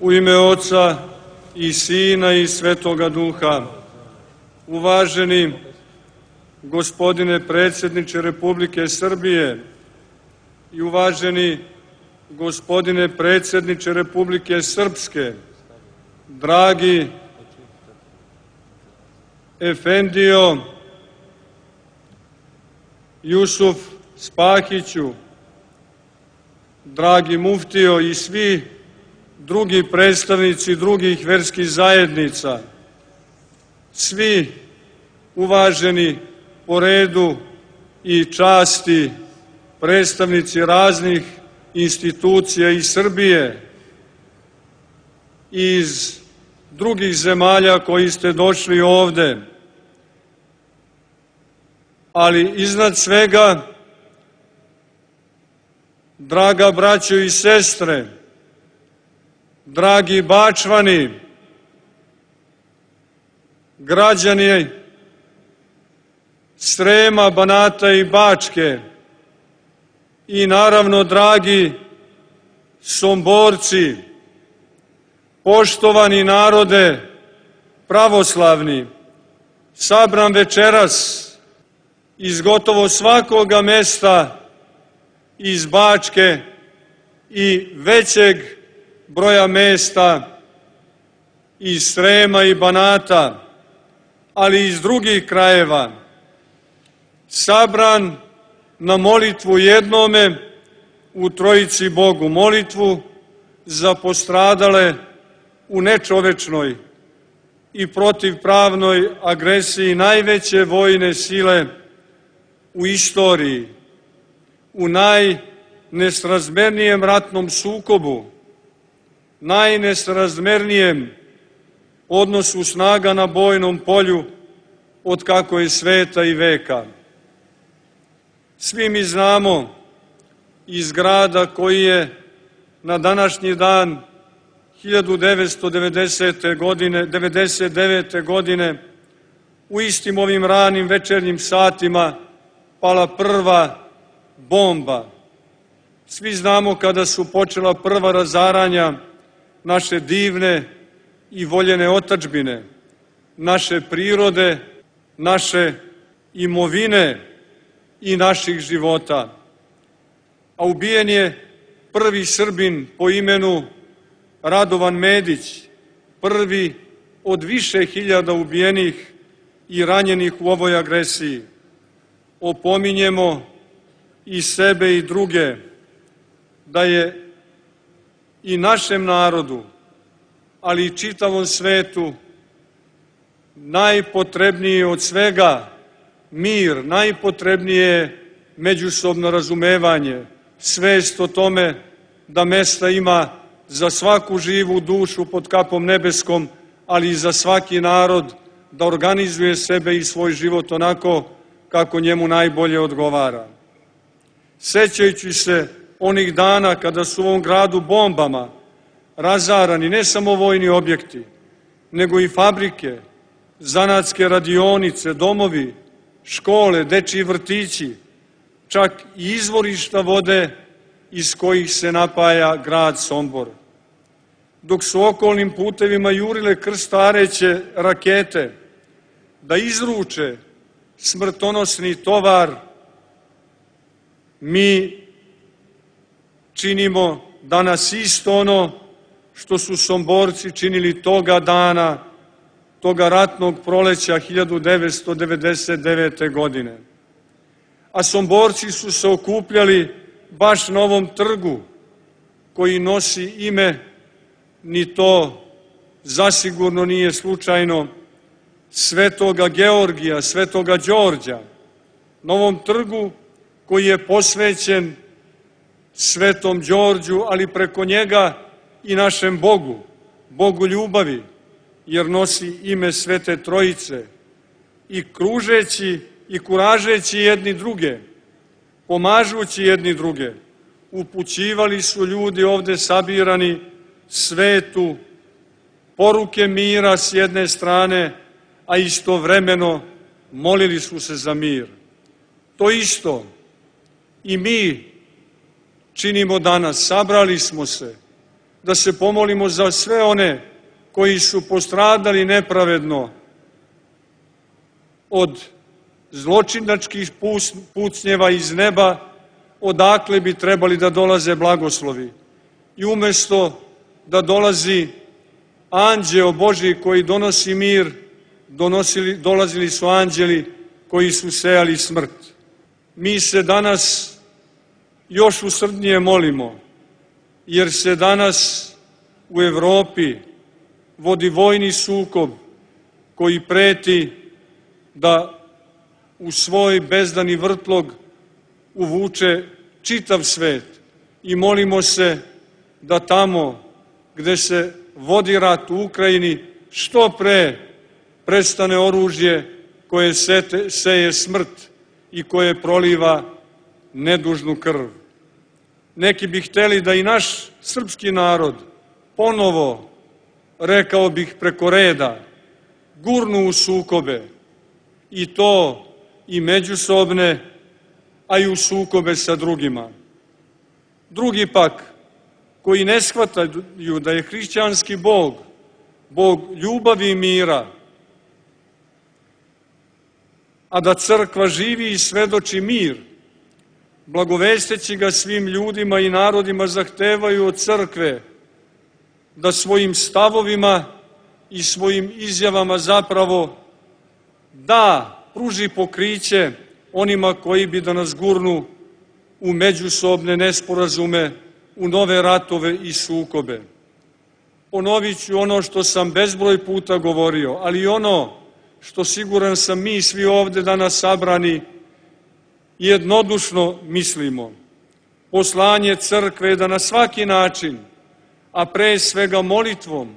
U ime Oca i Sina i Svetoga Duha. Uvaženi gospodine predsjedniče Republike Srbije i uvaženi gospodine predsjedniče Republike Srpske, dragi Efendijo Jusuf Spahiću, dragi muftijo i svi drugi predstavnici drugih verskih zajednica, svi uvaženi po redu i časti predstavnici raznih institucija iz Srbije i iz drugih zemalja koji ste došli ovde, ali iznad svega, draga braćo i sestre, dragi Bačvani, građani Srema, Banata i Bačke i naravno dragi Somborci, poštovani narode pravoslavni, sabran večeras iz gotovo svakoga mesta iz Bačke i većeg broja mesta iz Srema i Banata, ali i iz drugih krajeva, sabran na molitvu jednome u Trojici Bogu, molitvu za postradale u nečovečnoj i protivpravnoj agresiji najveće vojne sile u istoriji, u najnesrazmernijem ratnom sukobu, najnesrazmernijem odnosu snaga na bojnom polju od kako je sveta i veka. Svi mi znamo iz grada koji je na današnji dan 1999. godine u istim ovim ranim večernjim satima pala prva bomba. Svi znamo kada su počela prva razaranja naše divne i voljene otadžbine, naše prirode, naše imovine i naših života. A ubijen je prvi Srbin po imenu Radovan Medić, prvi od više hiljada ubijenih i ranjenih u ovoj agresiji. Opominjemo i sebe i druge da je i našem narodu, ali i čitavom svetu najpotrebnije od svega mir, najpotrebnije je međusobno razumevanje, svest o tome da mesta ima za svaku živu dušu pod kapom nebeskom, ali i za svaki narod da organizuje sebe i svoj život onako kako njemu najbolje odgovara. Sećajući se onih dana kada su u ovom gradu bombama razarani ne samo vojni objekti, nego i fabrike, zanatske radionice, domovi, škole, dečiji vrtići, čak i izvorišta vode iz kojih se napaja grad Sombor. Dok su okolnim putevima jurile krstareće rakete da izruče smrtonosni tovar, mi činimo danas isto ono što su Somborci činili toga dana, toga ratnog proleća 1999. godine. A Somborci su se okupljali baš na ovom trgu koji nosi ime, ni to zasigurno nije slučajno, Svetoga Georgija, Svetoga Đorđa, na ovom trgu koji je posvećen Svetom Đorđu, ali preko njega i našem Bogu, Bogu ljubavi, jer nosi ime Svete Trojice. I kružeći i kuražeći jedni druge, pomažući jedni druge, upućivali su ljudi ovde sabirani svetu poruke mira s jedne strane, a istovremeno molili su se za mir. To isto i mi činimo danas. Sabrali smo se da se pomolimo za sve one koji su postradali nepravedno od zločinačkih pucnjeva iz neba, odakle bi trebali da dolaze blagoslovi. I umjesto da dolazi anđeo Božji koji donosi mir, dolazili su anđeli koji su sejali smrt. Mi se danas još usrdnije molimo, jer se danas u Evropi vodi vojni sukob koji preti da u svoj bezdani vrtlog uvuče čitav svet. I molimo se da tamo gde se vodi rat u Ukrajini što pre prestane oružje koje seje smrt i koje proliva nedužnu krv. Neki bi hteli da i naš srpski narod ponovo, rekao bih preko reda, gurnu u sukobe, i to i međusobne, a i u sukobe sa drugima. Drugi pak, koji ne shvataju da je hrišćanski Bog, Bog ljubavi i mira, a da crkva živi i svedoči mir, blagovesteći ga svim ljudima i narodima, zahtevaju od crkve da svojim stavovima i svojim izjavama zapravo pruži pokriće onima koji bi da nas gurnu u međusobne nesporazume, u nove ratove i sukobe. Ponovit ću ono što sam bezbroj puta govorio, ali i ono što siguran sam mi svi ovde danas sabrani jednodušno mislimo. Poslanje crkve je da na svaki način, a pre svega molitvom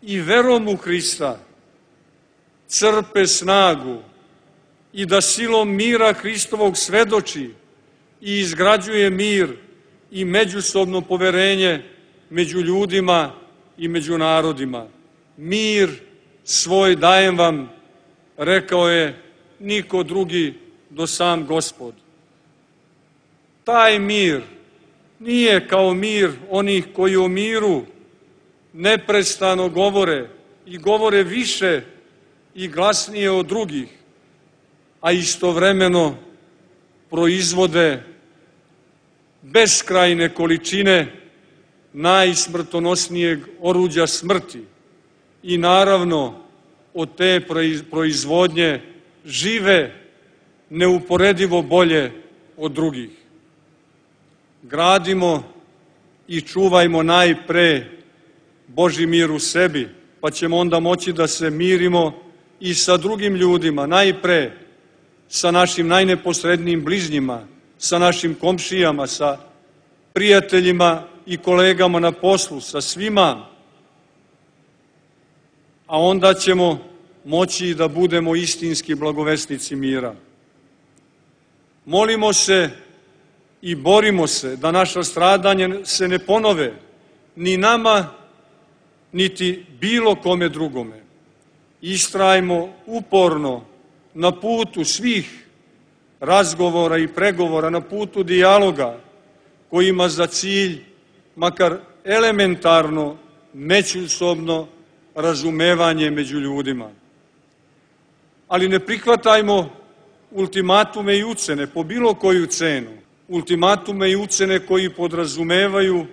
i verom u Hrista, crpe snagu i da silom mira Hristovog svedoči i izgrađuje mir i međusobno poverenje među ljudima i među narodima. Mir svoj dajem vam, rekao je, niko drugi do sam Gospod. Taj mir nije kao mir onih koji o miru neprestano govore i govore više i glasnije od drugih, a istovremeno proizvode beskrajne količine najsmrtonosnijeg oruđa smrti i naravno od te proizvodnje žive neuporedivo bolje od drugih. Gradimo i čuvajmo najpre Božji mir u sebi, pa ćemo onda moći da se mirimo i sa drugim ljudima, najpre sa našim najneposrednijim bližnjima, sa našim komšijama, sa prijateljima i kolegama na poslu, sa svima, a onda ćemo moći da budemo istinski blagovesnici mira. Molimo se i borimo se da naša stradanja se ne ponove ni nama, niti bilo kome drugome. Istrajmo uporno na putu svih razgovora i pregovora, na putu dijaloga koji ima za cilj makar elementarno međusobno razumevanje među ljudima. Ali ne prihvatajmo ultimatume i ucene po bilo koju cenu. Ultimatume i ucene koji podrazumevaju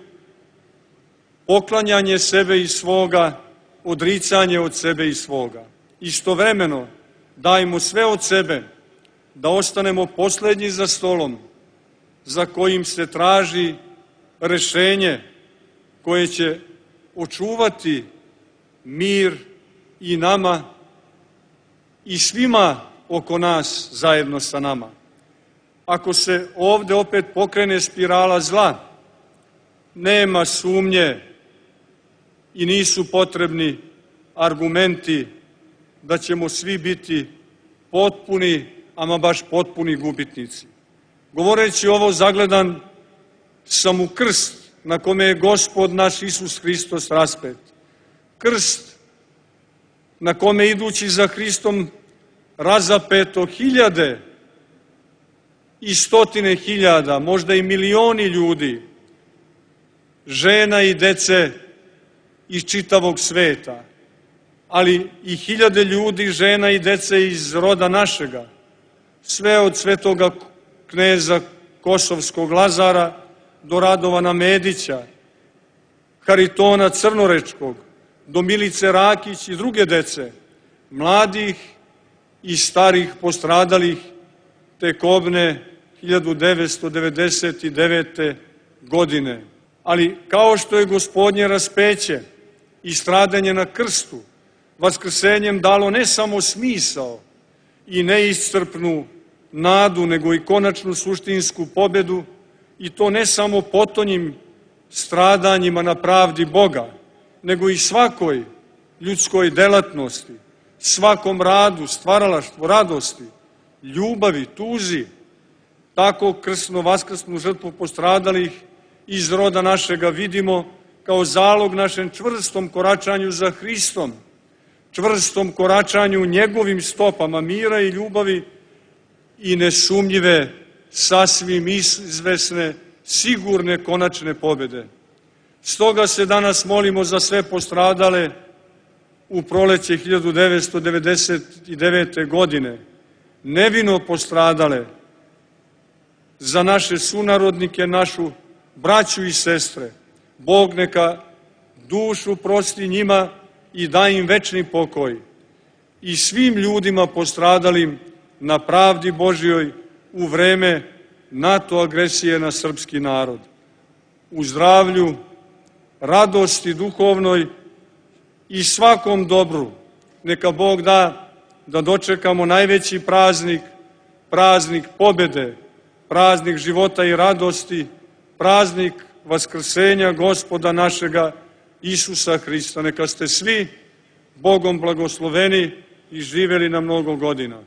poklanjanje sebe i svoga, odricanje od sebe i svoga. Istovremeno dajmo sve od sebe da ostanemo poslednji za stolom za kojim se traži rešenje koje će očuvati mir i nama i svima oko nas zajedno sa nama. Ako se ovde opet pokrene spirala zla, nema sumnje i nisu potrebni argumenti da ćemo svi biti potpuni, ama baš potpuni gubitnici. Govoreći ovo, zagledan sam u krst na kome je Gospod naš Isus Hristos raspet. Krst na kome idući za Hristom razapeto hiljade i stotine hiljada, možda i milioni ljudi, žena i dece iz čitavog sveta, ali i hiljade ljudi, žena i dece iz roda našega, sve od svetoga kneza Kosovskog Lazara do Radovana Medića, Haritona Crnorečkog, do Milice Rakić i druge dece, mladih i starih postradalih te kobne 1999. godine. Ali kao što je Gospodnje raspeće i stradanje na krstu vaskrsenjem dalo ne samo smisao i neiscrpnu nadu, nego i konačnu suštinsku pobedu, i to ne samo potonjim stradanjima na pravdi Boga, nego i svakoj ljudskoj delatnosti, svakom radu, stvaralaštvu, radosti, ljubavi, tuzi, tako krsno-vaskrsnu žrtvu postradalih iz roda našega vidimo kao zalog našem čvrstom koračanju za Hristom, čvrstom koračanju njegovim stopama mira i ljubavi i nesumnjive, sasvim izvesne, sigurne konačne pobede. Stoga se danas molimo za sve postradale u proleće 1999. godine, nevino postradale, za naše sunarodnike, našu braću i sestre. Bog neka dušu prosti njima i da im večni pokoj. I svim ljudima postradalim na pravdi Božjoj u vreme NATO agresije na srpski narod. U zdravlju, radosti duhovnoj i svakom dobru neka Bog da dočekamo najveći praznik, praznik pobede, praznik života i radosti, praznik vaskrsenja Gospoda našega Isusa Hrista. Neka ste svi Bogom blagosloveni i živeli na mnogo godina.